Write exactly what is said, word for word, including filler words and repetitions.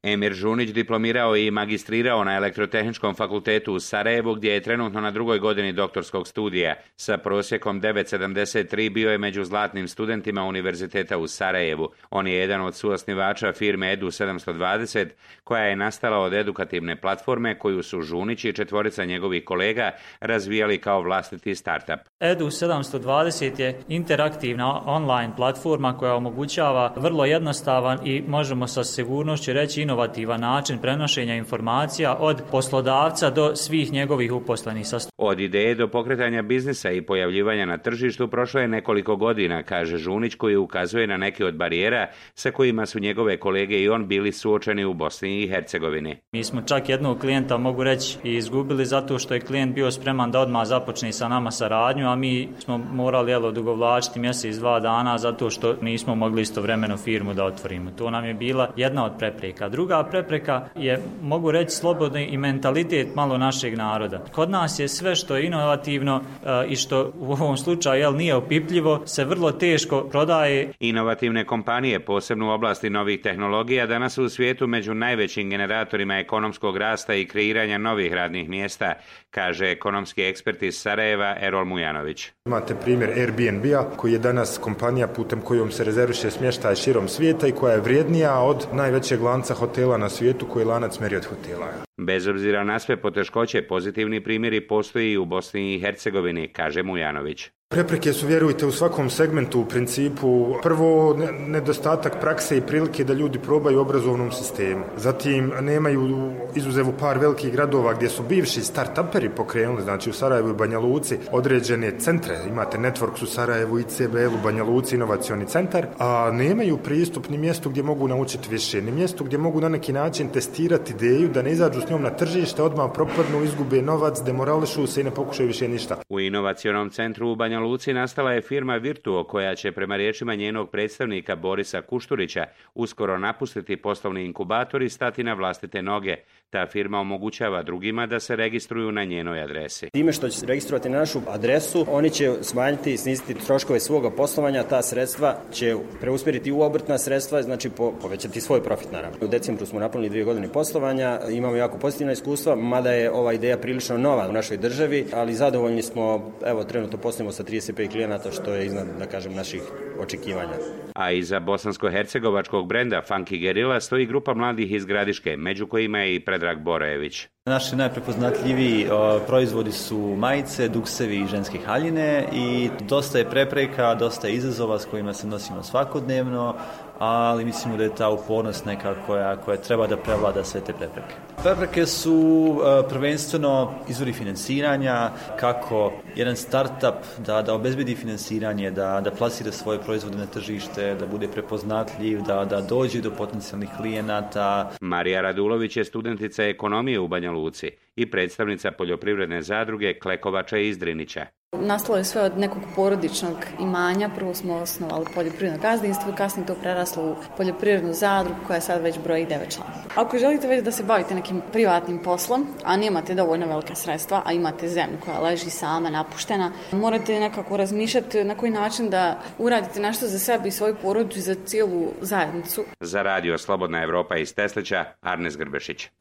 Emir Žunić diplomirao i magistrirao na Elektrotehničkom fakultetu u Sarajevu, gdje je trenutno na drugoj godini doktorskog studija. Sa prosjekom devet zarez sedamdeset tri bio je među zlatnim studentima Univerziteta u Sarajevu. On je jedan od suosnivača firme Edu sedamsto dvadeset, koja je nastala od edukativne platforme koju su Žunić i četvorica njegovih kolega razvijali kao vlastiti startup. Edu sedamsto dvadeset je interaktivna online platforma koja omogućava vrlo jednostavan i možemo sa sigurnošću reći inovativan način prenošenja informacija od poslodavca do svih njegovih uposlenih. Od ideje do pokretanja biznisa i pojavljivanja na tržištu prošlo je nekoliko godina, kaže Žunić, koji ukazuje na neke od barijera sa kojima su njegove kolege i on bili suočeni u Bosni i Hercegovini. Mi smo čak jednog klijenta, mogu reći, i izgubili zato što je klijent bio spreman da odmah započne sa nama saradnju, a mi smo morali jelo, dugovlačiti mjesec, dva dana zato što nismo mogli istovremeno firmu da otvorimo. To nam je bila jedna od prepreka. Druga prepreka je, mogu reći, slobodni i mentalitet malo našeg naroda. Kod nas je sve što je inovativno e, i što u ovom slučaju jel, nije opipljivo, se vrlo teško prodaje. Inovativne kompanije, posebno u oblasti novih tehnologija, danas su u svijetu među najvećim generatorima ekonomskog rasta i kreiranja novih radnih mjesta, kaže ekonomski ekspert iz Sarajeva Erol Mujanović. Imate primjer Airbnb-a koji je danas kompanija putem kojom se rezerviše smještaj širom svijeta i koja je vrijednija od najvećeg lanca hotela na svijetu koji je lanac Marriott hotela. Bez obzira na sve poteškoće, pozitivni primjeri postoji i u Bosni i Hercegovini, kaže Mujanović. Prepreke su, vjerujte, u svakom segmentu u principu. Prvo, nedostatak prakse i prilike da ljudi probaju u obrazovnom sistemu. Zatim, nemaju izuzev u par velikih gradova gdje su bivši start-uperi pokrenuli, znači u Sarajevu i Banja Luci, određene centre. Imate Networks u Sarajevu, I C B L u Banja Luci, inovacioni centar, a nemaju pristup ni mjestu gdje mogu naučiti više, ni mjestu gdje mogu na neki način testirati ideju, da ne izađu s njom na tržište, odmah propadnu, izgube novac, demorališu se i ne pokušaju više ništa. U inovacionom centru u Banja Luci nastala je firma Virtuo, koja će prema riječima njenog predstavnika Borisa Kušturića uskoro napustiti poslovni inkubator i stati na vlastite noge. Ta firma omogućava drugima da se registruju na njenoj adresi. Time što će se registrovati na našu adresu, oni će smanjiti i sniziti troškove svoga poslovanja, ta sredstva će preusmjeriti u obrtna sredstva, znači po, povećati svoj profit naravno. U decembru smo napunili dvije godine poslovanja, imamo jako pozitivna iskustva, mada je ova ideja prilično nova u našoj državi, ali zadovoljni smo, evo trenutno poslujemo sa trideset pet klijenata, što je iznad, da kažem, naših očekivanja. A iza bosansko-hercegovačkog brenda Funky Guerrilla stoji grupa mladih iz Gradiške, među kojima je i Predrag Borojević. Naši najprepoznatljiviji o, proizvodi su majice, duksevi i ženske haljine i dosta je prepreka, dosta je izazova s kojima se nosimo svakodnevno, ali mislimo da je ta upornost neka koja, koja treba da prevlada sve te prepreke. Prepreke su uh, prvenstveno izvori financiranja, kako jedan startup da, da obezbedi financiranje, da, da plasira svoje proizvode na tržište, da bude prepoznatljiv, da, da dođe do potencijalnih klijenata. Marija Radulović je studentica ekonomije u Banja Luci i predstavnica poljoprivredne zadruge Klekovača iz Drinića. Nastalo je sve od nekog porodičnog imanja. Prvo smo osnovali poljoprivredno gazdinstvo, kasnije to preraslo u poljoprivrednu zadrugu koja sad već broji devet članova. Ako želite već da se bavite nekim privatnim poslom, a nemate dovoljno velike sredstva, a imate zemlju koja leži sama, napuštena, morate nekako razmišljati na koji način da uradite nešto za sebe i svoju porodicu i za cijelu zajednicu. Za radio Slobodna Evropa iz Teslića, Arnes Grbešić.